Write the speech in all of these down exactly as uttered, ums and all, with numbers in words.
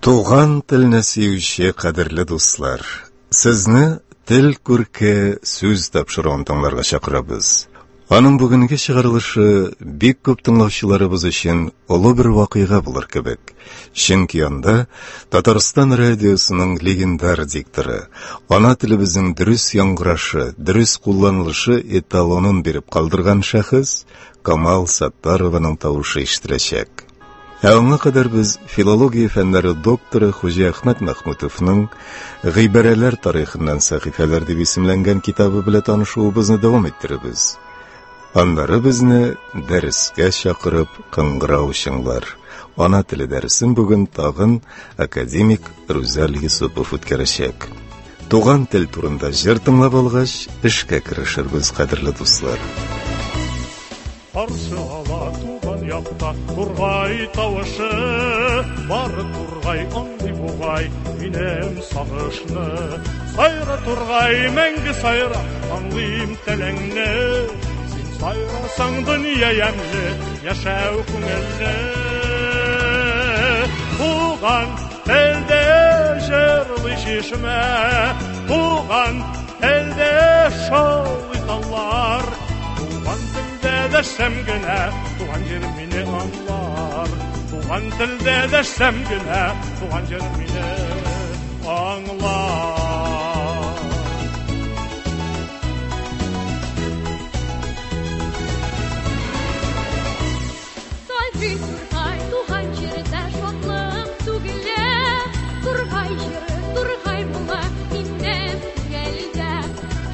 Туган телне сөюче кадерле дуслар, сезне Тел күрке сүз тапшыруын тыңларга чакырабыз. Аның бүгенге чыгарылышы бик күп тыңлаучыларыбыз өчен олы бер вакыйга булыр кебек. Чөнки анда Татарстан радиосының легендар дикторы, ана телебезнең дөрес яңгырашы, дөрес кулланылышы эталонын биреп калдырган шәхес Камал Саттарованың тавышы ишетеләчәк. Ә аңа кадәр без филология фәннәре докторы Хуҗиәхмәт Мәхмүтовның «Гыйбарәләр тарихыннан сәхифәләр» дип исемләнгән китабы белән танышуыбызны дәвам иттеребез. Аннары безне дәрескә чакырып кыңгырау чыңлар. Ана теле дәресен бүген тагын академик Рүзәл Юсупов үткәрәчәк. Туган тел турында җыр тыңлап алгач, эшкә керешербез, кадерле дуслар. Каршы ала туган якта тургай тавышы, бары тургай аңлый бугай минем сагышны. Сайра тургай, мәңге сайра, аңлыйм телеңне. Син сайрасаң дөнья ямьле, яшәү күңелле. Туган телдә җырлый чишмә, туган телдә шаулый таллар. Туган телдә дәшсәм генә, туган җирем мине аңлар. Туган телдә дәшсәм генә, туган җирем мине аңлар. Сайрый тургай, туган җирдә шатлык түгелә. Тургай җыры, тургай моңы минем күңелдә.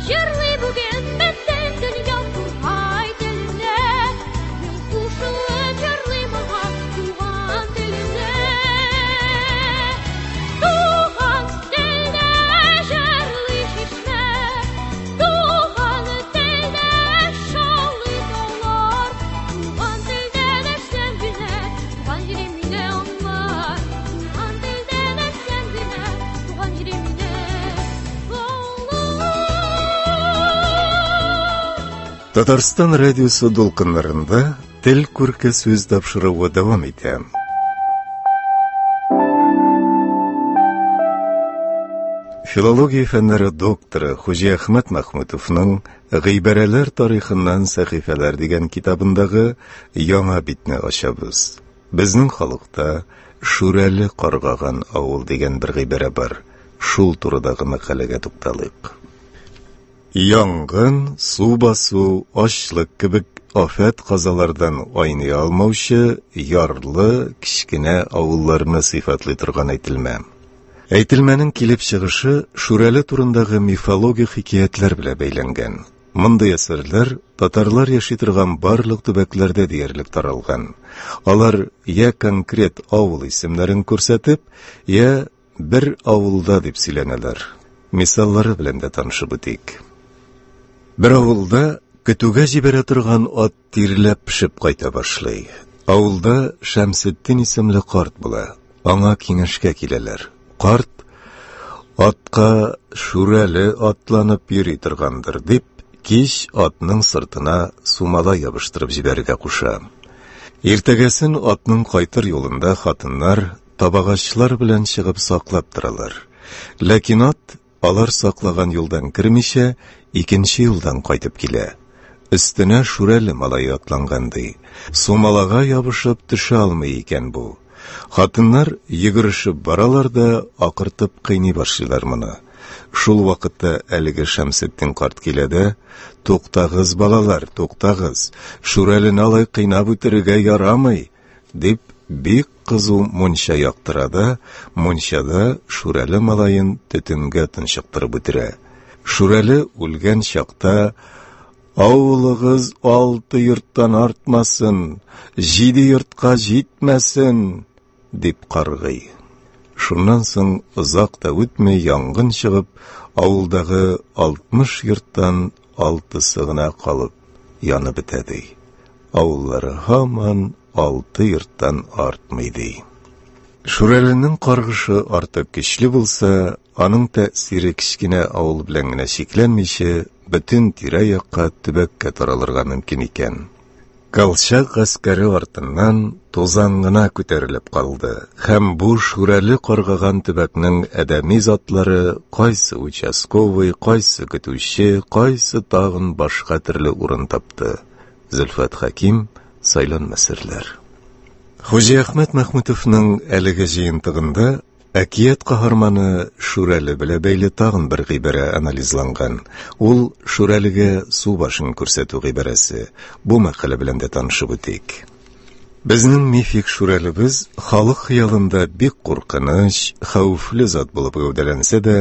Җырлый бүген бөтен дөнья тургай телендә. Мин кушылып җырлыйм аңа туган телемдә. Туган телдә җырлый чишмә, туган телдә шаулый таулар. Туган телдә дәшсәм генә, туган җирем мине аңлар. Туган телдә дәшсәм генә, туган җирем мине аңлар. Татарстан радиосы дулкыннарында Тел күрке сүз тапшыруы дәвам итә. Филология фәннәре докторы Хуҗиәхмәт Мәхмүтовның «Гыйбарәләр тарихыннан сәхифәләр» дигән китабындагы яңа битне ачабыз. Безнең халыкта Шүрәле каргаган авыл дигән бер гыйбарә бар. Шул турыдагы мәкаләгә тукталыйк. Янгын, су басу, ачлык кебек афәт казалардан айный алмаучы ярлы кечкенә авылларны сыйфатлый торган әйтелмә. Әйтелмәнең килеп чыгышы Шүрәле турындагы мифологик хикәятләр белән бәйләнгән. Мондый әсәрләр татарлар яши торган барлык төбәкләрдә диярлек таралган. Алар я конкрет авыл исемнәрен күрсәтеп, я бер авылда дип сөйләнәләр. Мисаллары белән дә танышып үтик. Бер авылда көтүгә җибәрә торган ат тирләп пешеп кайта башлый. Авылда Шәмсетдин исемле карт була. Аңа киңәшкә киләләр. Карт атка Шүрәле атланып йөри торгандыр дип, кич атның сыртына сумала ябыштырып җибәрергә куша. Иртәгәсен атның кайтыр юлында хатыннар табагачлар белән чыгып саклап торалар. Ләкин ат алар саклаган юлдан кермичә, икенче юлдан кайтып килә. Өстенә Шүрәле малае атланган ди. Сумалага ябышып төшә алмый икән бу. Хатыннар йөгерешеп баралар да акыртып кыйный башлыйлар моны. Шул вакытта әлеге Шәмсетдин карт килә дә, «Туктагыз, балалар, туктагыз, Шүрәлене алай кыйнап үтерергә ярамый», дип бик кызу мунча яктыра да, мунчада Шүрәле малаен төтенгә тончыктырып үтерә. Шүрәле үлгән чакта «Авылыгыз алты йорттан артмасын, җиде йортка җитмәсен», дип каргый. Шуннан соң озак та үтми янгын чыгып, авылдагы алтмыш йорттан алтысы гына калып янып бетә ди. Авыллары һаман алты йорттан артмый ди. Шүрәленең каргышы артык көчле булса, аның тәэсире кечкенә авыл белән генә чикләнмичә, бөтен тирә-якка, төбәккә таралырга мөмкин икән. Колчак гаскәре артыннан тузан гына күтәрелеп калды һәм бу Шүрәле каргаган төбәкнең адәми затлары кайсы участковый, кайсы көтүче, кайсы тагын башка төрле урын тапты. Зөлфәт Хәким, Сайланма серләр. Хуҗиәхмәт Мәхмүтовның әлеге җыентыгында әкият каһарманы Шүрәле белән бәйле тагын бер гыйбарә анализланган. Ул Шүрәлегә су башын күрсәтү гыйбарәсе. Бу мәкалә белән дә танышып үтик. Безнең мифик Шүрәлебез халык хыялында бик куркыныч, хәвефле зат булып гәүдәләнсә дә,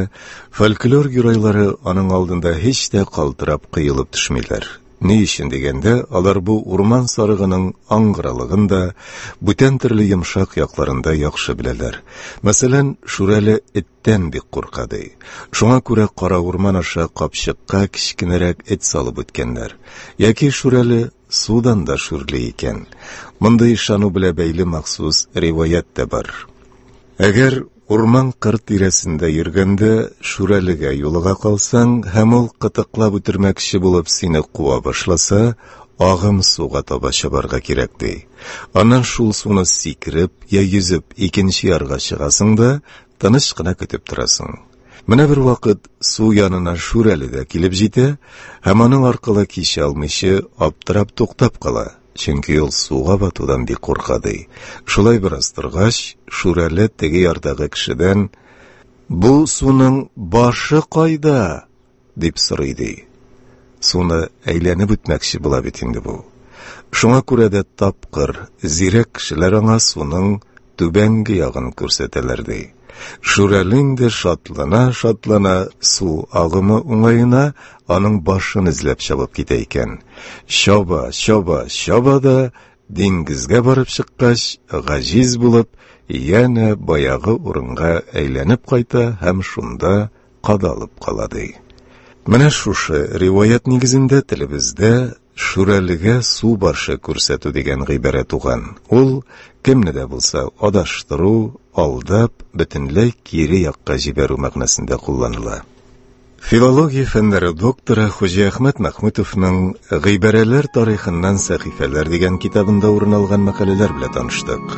фольклор геройлары аның алдында һич тә калтырап кыелып төшмиләр. Ни өчен дигәндә, алар бу урман сарыгының аңгыралыгын да, бүтән төрле йомшак якларын да яхшы беләләр. Мәсәлән, Шүрәле эттән бик курка ди. Шуңа күрә кара урман аша капчыкка кечкенәрәк эт салып үткәннәр. Яки Шүрәле судан да шүрли икән. Мондый ышану белән бәйле махсус риваять тә бар. Әгәр урман кыр тирәсендә йөргәндә Шүрәлегә юлыга калсаң һәм ул кытыклап үтермәкче булып сине куа башласа, агым суга таба чабарга кирәк ди. Аннан шул суны сикереп я йөзеп икенче ярга чыгасың да тыныч кына көтеп торасың. Менә бер вакыт су янына Шүрәле дә килеп җитә һәм аның аркылы кичә алмыйча аптырап туктап кала. Чөнки ул суга батудан бик курка ди. Шулай бераз торгач, Шүрәле теге ярдагы кешедән: "Бу суның башы кайда?" дип сорый ди. Суны әйләнеп үтмәкче була бит инде бу. Шуңа күрә дә тапкыр, зирәк кешеләр аңа суның түбәнге ягын күрсәтәләр ди. Шүрәле инде шатлана-шатлана су агымы уңаена аның башын эзләп чабып китә икән. Чаба, чаба, чаба да диңгезгә барып чыккач, гаҗиз булып, янә баягы урынга әйләнеп кайта һәм шунда кадалып кала ди. Менә шушы риваять нигезендә телебездә Шүрәлегә су башы күрсәтү дигән гыйбарә туган. Ул кемне дә булса адаштыру, алдап, бөтенләй кире якка җибәрү мәгънәсендә кулланыла. Филология фәннәре докторы Хуҗиәхмәт Мәхмүтовның Гыйбарәләр тарихыннан сәхифәләр дигән китабында урын алган мәкаләләр белән таныштык.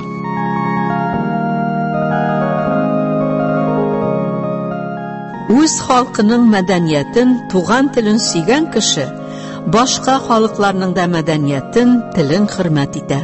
Үз халкының мәдәниятен, туган телен сөйгән кеше башка халыкларның да мәдәниятен, телен хөрмәт итә.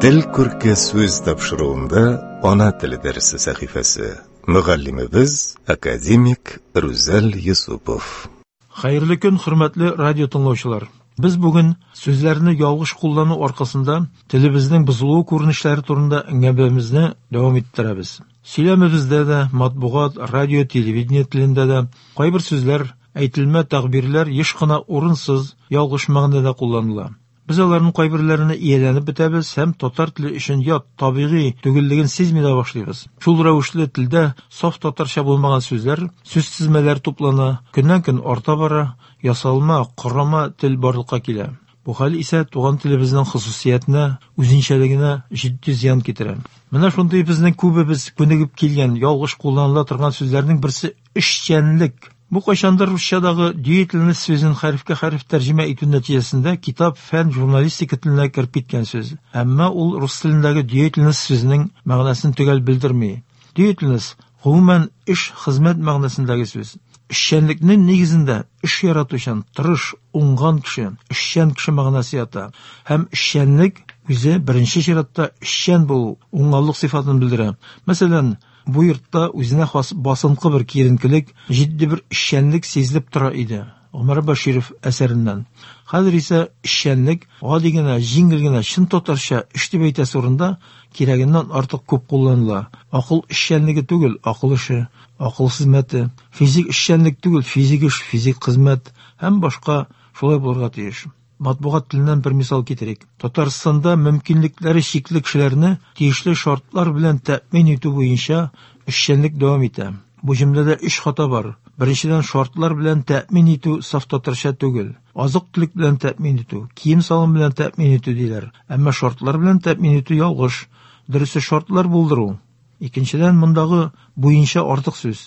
Тел күрке сүз тапшыруында ана теле дәресе сәхифәсе. Мөгаллимебез академик Рүзәл Юсупов. Хәерле көн, хөрмәтле радио тыңлаучылар. Без бүген сүзләрне ялгыш куллану аркасында телебезнең бозылуы күренешләре турында әңгәмәбезне дәвам иттерәбез. Сөйләмебездә дә, матбугат, радио, телевидение телендә дә кайбер сүзләр, әйтелмә тәгъбирләр еш кына урынсыз, ялгыш мәгънәдә кулланыла. Без аларның кайберләренә ияләнеп бетәбез һәм татар теле өчен ят, табигый түгеллеген сизми дә башлыйбыз. Шул рәвешле телдә саф татарча булмаган сүзләр, сүз тезмәләр туплана, көннән-көн арта бара, ясалма, корама тел барлыкка килә. Бу хәл исә туган телебезнең хосусиятенә, үзенчәлегенә җитди зыян китерә. Менә шундый безнең күбебез күнегеп килгән, ялгыш кулланыла торган сүзләрнең берсе эшчәнлек. Бу кайчандыр русчадагы деятельность сүзен хәрефкә хәреф тәрҗемә итү нәтиҗәсендә китап, фән, журналистика теленә кереп киткән сүз. Әмма ул рус телендәге деятельность сүзенең мәгънәсен төгәл белдерми. Деятельность гомумән эш, хезмәт мәгънәсендәге сүз. Эшчәнлекнең нигезендә эш яратучан, тырыш, уңган кеше, эшчән кеше мәгънәсе ята. Һәм эшчәнлек үзе беренче чиратта эшчән булу, уңганлык сыйфатын белдерә. Мәсәлән, бу йортта үзенә хас басынкы бер киеренкелек, җитди бер эшчәнлек сизелеп тора иде. Гомәр Бәширов әсәреннән. Хәзер исә эшчәнлек гади генә, җиңел генә, чын татарча эш дип әйтәсе урында кирәгеннән артык күп кулланыла. Акыл эшчәнлеге түгел, акыл эше, акыл хезмәте, физик эшчәнлек түгел, физик эш, физик хезмәт һәм башка шулай булырга тиеш. Матбугат теленнән бер мисал китерик. Татарстанда мөмкинлекләре чикле кешеләрне тиешле шартлар белән тәэмин итү буенча эшчәнлек дәвам итә. Бу җөмләдә өч хата бар. Беренчедән, шартлар белән тәэмин итү саф татарча түгел. Азык-төлек белән тәэмин итү, кием-салым белән тәэмин итү диләр. Әмма шартлар белән тәэмин итү ялгыш. Дөресе шартлар булдыру. Икенчедән, мондагы буенча артык сүз.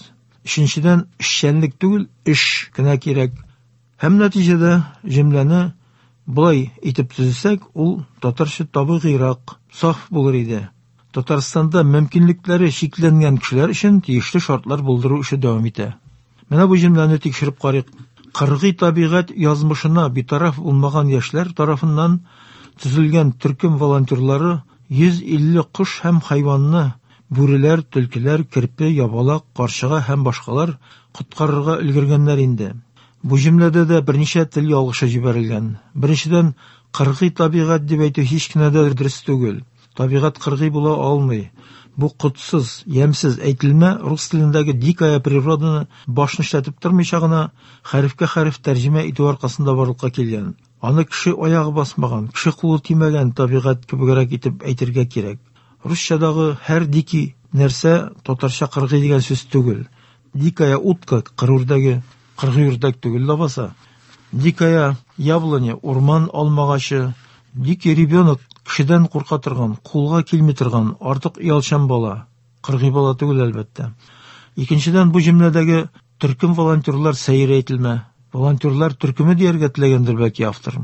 Өченчедән, эшчәнлек түгел, эш кенә кирәк. Һәм нәтиҗәдә җөмләне болай итеп төзесәк, ул татарча табигыйрак, саф булыр иде. Татарстанда мөмкинлекләре чикләнгән кешеләр өчен тиешле шартлар булдыру эше дәвам итә. Менә бу җөмләне тикшереп карыйк. Кыргый табигать язмышына битараф булмаган яшьләр тарафыннан төзелгән төркем волонтерлары йөз илле кош һәм хайванны, бүреләр, төлкеләр, керпе, ябалак, карчыга һәм башкалар коткарырга өлгергәннәр инде. Бу җөмләдә дә берничә тел ялгышы җибәрелгән. Беренчедән, кыргый табигать дип әйтү һич кенә дә дөрес түгел. Табигать кыргый була алмый. Бу котсыз, ямьсез әйтелмә рус телендәге дикая природаны башны эшләтеп тормыйча гына хәрефкә хәреф тәрҗемә итү аркасында барлыкка килгән. Аны кеше аягы басмаган, кеше кулы тимәгән табигать кебегрәк итеп әйтергә кирәк. Русчадагы һәр дикий нәрсә татарча кыргый дигән сүз түгел. Дикая утка кыр үрдәге, кыргый үрдәк түгел лабаса. Дикая яблоня, урман алмагачы, дикий ребенок кешедән курка торган, кулга килми торган, артык оялчан бала, кыргый бала түгел әлбәттә. Икенчедән, бу җөмләдәге төркем волонтерлар сәер әйтелмә. Волонтерлар төркеме дияргә теләгәндер бәлки автор.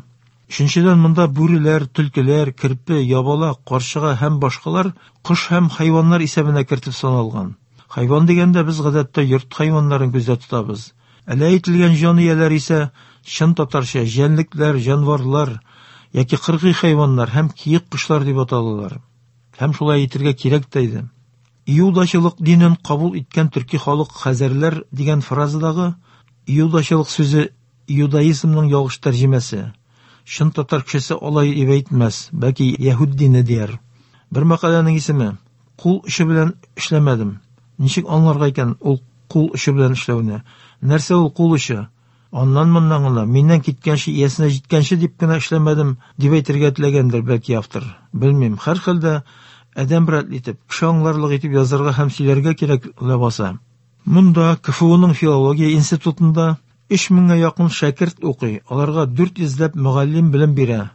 Өченчедән, монда бүреләр, төлкеләр, керпе, ябалак, карчыга һәм башкалар кош һәм хайваннар исәбенә кертеп саналган. Хайван дигәндә без гадәттә йорт хайваннарын күздә тотабыз. Әле әйтелгән җан ияләре исә чын татарча җәнлекләр, җанварлар яки кыргый хайваннар һәм киек кошлар дип аталалар. Һәм шулай әйтергә кирәк тә иде. Иудачылык динен кабул иткән төрки халык хәзәрләр дигән фразадагы иудачылык сүзе иудаизмның ялгыш тәрҗемәсе. Чын татар кешесе алай дип әйтмәс, бәлки яһүд дине дияр. Бер мәкаләнең исеме «Кул очы белән эшләмәдем». Ничек аңларга икән ул кул очы белән эшләүне? Нәрсә ул кул очы? Аннан моннан гына, миннән киткәнче, иясенә җиткәнче дип кенә эшләмәдем дип әйтергә теләгәндер бәлки автор. Белмим, һәрхәлдә адәм рәтле итеп, кеше аңларлык итеп язарга һәм сөйләргә кирәк ләбаса. Монда К Ф Уның филология институтында өч меңгә якын шәкерт укый. Аларга дүрт йөзләп мөгаллим белем бирә.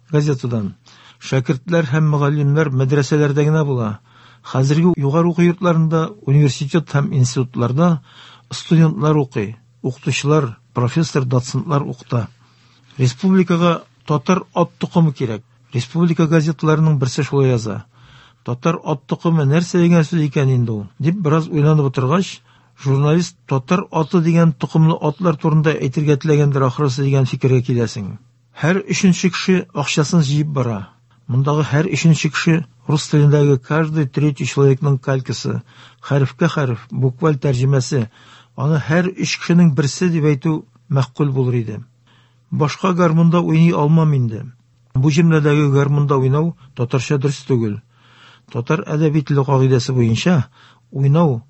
Газетадан. Шәкертләр һәм мөгаллимнәр мәдрәсәләрдә генә була. Хәзерге югары уку йортларында, университет һәм институтларда студентлар укый, укытучылар, профессор, доцентлар укыта. Республикага татар ат токымы кирәк. Республика газеталарының берсе шулай яза. Татар ат токымы нәрсә дигән сүз икән инде ул? Дип бераз уйланып утыргач, журналист татар аты дигән токымлы атлар турында әйтергә теләгәндер ахрысы дигән фикергә киләсең. Һәр өченче кеше акчасын җыеп бара. Мондагы һәр өченче кеше рус телендәге каждый третий человекның калькасы, хәрефкә хәреф, букваль тәрҗемәсе. Аны һәр өч кешенең берсе дип әйтү мәгъкуль булыр иде. Башка гармунда уйный алмам инде. Бу җөмләдәге гармунда уйнау татарча дөрес түгел. Татар әдәби теле кагыйдәсе буенча уйнау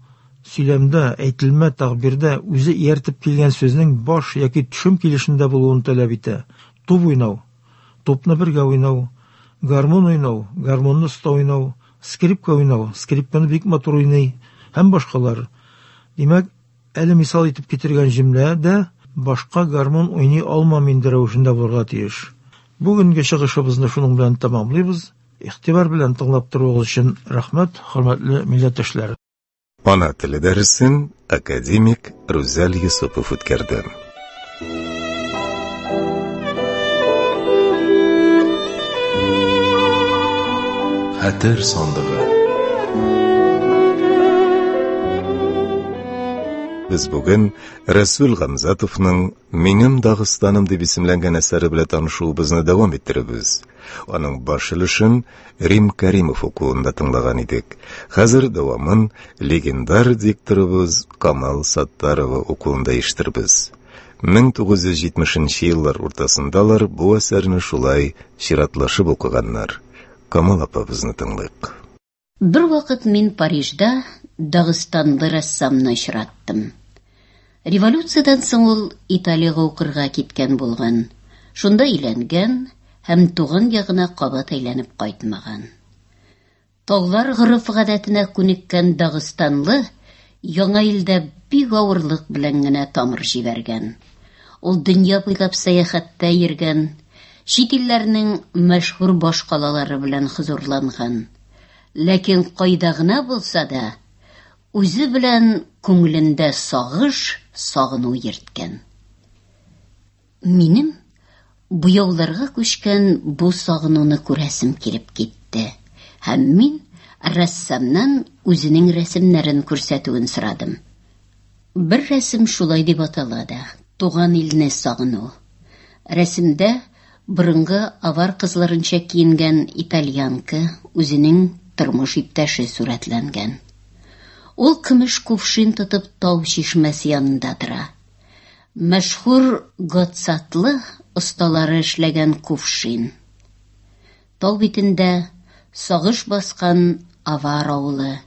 сөйләмдә, әйтелмә, тәгъбирдә үзе ияртеп килгән сүзнең баш яки төшем килешендә булуын таләп итә. Туп уйнау, тупны бергә уйнау, гармун уйнау, гармунны оста уйнау, скрипка уйнау, скрипканы бик матур уйный һәм башкалар. Димәк, әле мисал итеп китергән җөмлә дә башка гармун уйный алмам инде рәвешендә булырга тиеш. Бүгенге чыгышыбызны шуның белән тәмамлыйбыз. Игътибар белән тыңлап торуыгыз өчен рәхмәт, хөрмәтле милләттәшләр. Ана теле дәресен академик Рүзәл Юсупов үткәрде. Хәтер сандыгы. Без бүген Рәсүл Гамзатовның Минем Дагыстаным дип исемләнгән әсәре белән танышуыбызны дәвам иттерәбез. Аның баш өлешен Рим Каримов укуында тыңлаган идек. Хәзер дәвамын легендар дикторыбыз Камал Саттарова укуында ишетербез. Мең тугыз йөз җитмешенче еллар уртасындалар бу әсәрне шулай чиратлашып укыганнар. Камал апабызны тыңлыйк. Бер вакыт мин Парижда Дагыстанлы рәссамны очраттым. Революциядән соң ул Италиягә укырга киткән булган. Шунда өйләнгән һәм туган ягына кабат әйләнеп кайтмаган. Таулар гореф-гадәтенә күнеккән Дагыстанлы яңа илдә бик авырлык белән генә тамыр җибәргән. Ул дөнья буйлап сәяхәттә йөргән, чит илләрнең мәшһүр башкалалары белән хозурланган. Ләкин кайда гына булса да, үзе белән күңелендә сагыш, сагыну йөрткән. Минем буяуларга күчкән бу сагынуны күрәсем килеп китте. Һәм мин рәссамнан үзенең рәсемнәрен күрсәтүен сорадым. Бер рәсем шулай дип атала да: «Туган илне сагыну». Рәсемдә борынгы авар кызларынча киенгән итальянка, үзенең тормыш иптәше сурәтләнгән. Ул көмеш кувшин тотып тау чишмәсе янында тора. Мәшһүр Готсатлы осталары эшләгән кувшин. Тау битендә сагыш баскан авар авылы.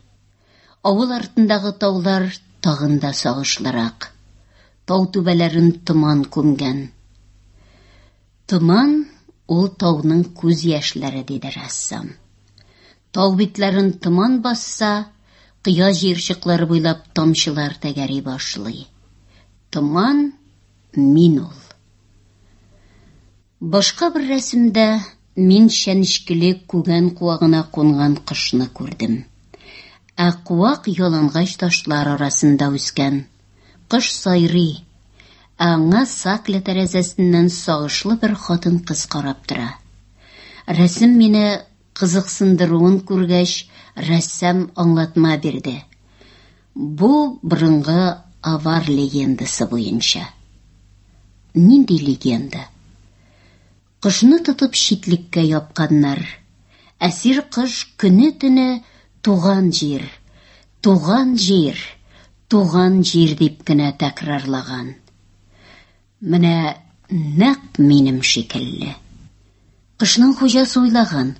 Авыл артындагы таулар тагын да сагышлырак. Тау түбәләрен томан күмгән. Томан ул тауның күз яшьләре, диде рәссам. Тау битләрен томан басса, кыя җыерчыклары буйлап тамчылар тәгәри башлый. Томан мин ул. Башка бер рәсемдә мин чәнечкеле күгән куагына кунган кошны күрдем. Ә куак ялангач ташлар арасында үскән. Кош сайрый, ә аңа сакля тәрәзәсеннән сагышлы бер хатын-кыз карап тора. Рәсем мине кызыксындыруын күргәч, рәссам аңлатма бирде. Бу борынгы авар легендасы буенча. Нинди легенда? Кошны тотып читлеккә япканнар. Әсир кош көне-төне туган җир, туган җир, туган җир дип кенә тәкрарлаган. Менә нәкъ минем шикелле. Кошның хуҗасы уйлаган: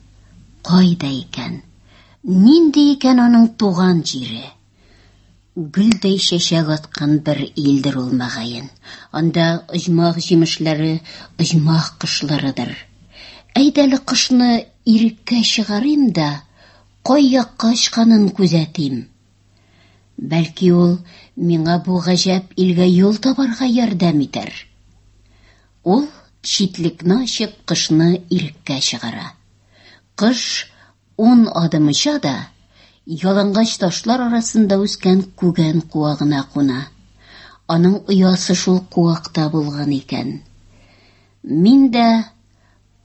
кайда икән? Нинди икән аның туган җире? Гөлдәй чәчәк аткан бер илдер ул мөгаен. Анда оҗмах җимешләре, оҗмах кошларыдыр. Әйдә әле кошны иреккә чыгарыйм да, кай якка очканын күзәтим. Бәлки ул миңа бу гаҗәп илгә юл табарга ярдәм итәр. Ул читлекне ачып кошны иреккә чыгара. Кош ун адым оча да, ялангач ташлар арасында үскән күгән куагына куна. Аның оясы шул куакта булган икән. Мин дә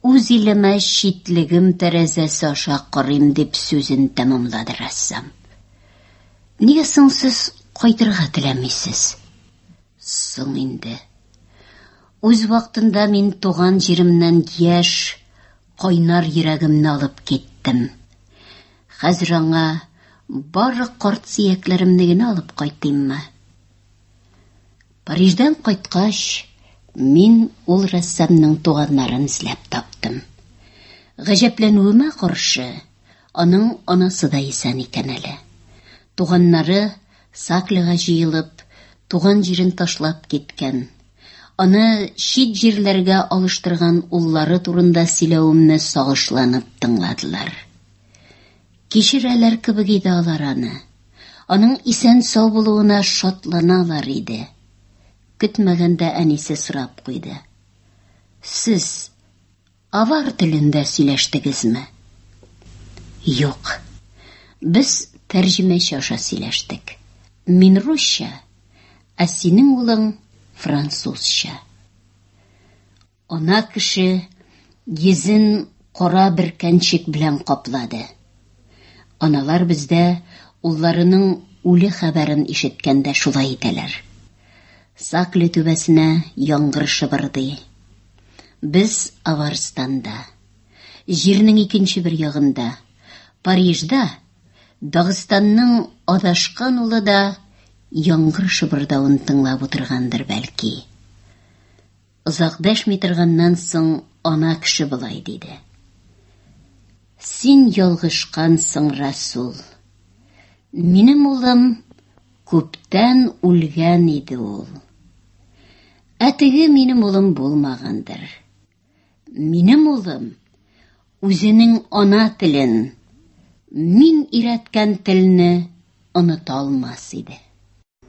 үз илемә читлегем тәрәзәсе аша карыйм, дип сүзен тәмамлады рәссам. Нигә соң сез кайтырга теләмисез? Соң инде. Үз вакытында мин туган җиремнән яшь, кайнар йөрәгемне алып киттем. Хәзер аңа бары карт сөякләремне генә алып кайтыйммы? Париждан кайткач, мин ул рәссамның туганнарын эзләп таптым. Гаҗәпләнүемә каршы, аның анасы да исән икән әле. Туганнары Саклыга җыелып, туган җирен ташлап киткән. Аны чит җирләргә алыштырган уллары турында сөйләвемне сагышланып тыңладылар. Кичерәләр кебек иде алар аны. Аның исән-сау булуына шатланалар иде. Көтмәгәндә әнисе сорап куйды: Сез авар телендә сөйләштегезме? Юк. Без тәрҗемәче аша сөйләштек. Мин русча, ә синең улың французча. Ана кеше йөзен кара бөркәнчек белән каплады. Аналар бездә улларының үле хәбәрен ишеткәндә шулай итәләр. Саклы түбәсенә яңгыр шыбырдый. Без Аварстанда, җирнең икенче бер ягында, Парижда, Дагыстанның адашкан улы да яңгыр шыбырдавын тыңлап утыргандыр бәлки. Озак дәшми торганнан соң ана кеше болай диде: Син ялгышкансың, Расул. Минем улым күптән үлгән иде ул. Ә теге минем улым булмагандыр. Минем улым үзенең ана телен, мин өйрәткән телне оныта алмас иде.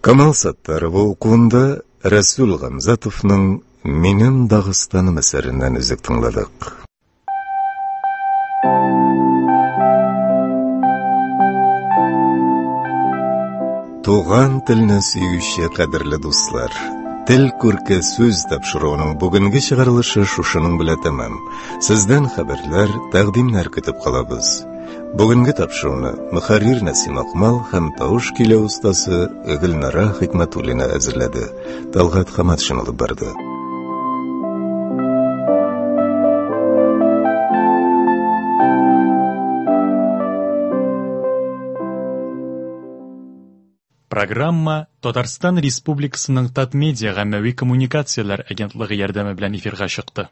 Камал Саттарова укуында Рәсүл Гамзатовның «Минем Дагыстаным» әсәреннән өзек тыңладык. Туган телне сөюче кадерле дуслар, Тел күрке сүз тапшыруының бүгенге чыгарылышы шушының белән тәмам. Сездән хәбәрләр, тәкъдимнәр көтеп калабыз. Бүгенге тапшыруны мөхәррир Нәсим Акмал һәм тавыш көйләү остасы Гөлнара Хикмәтуллина әзерләде. Талгат Хаматшин алып барды. Программа Татарстан Республикасының Татмедиа гаммәви коммуникацияләр агентлыгы ярдәме белән эфирга чыкты.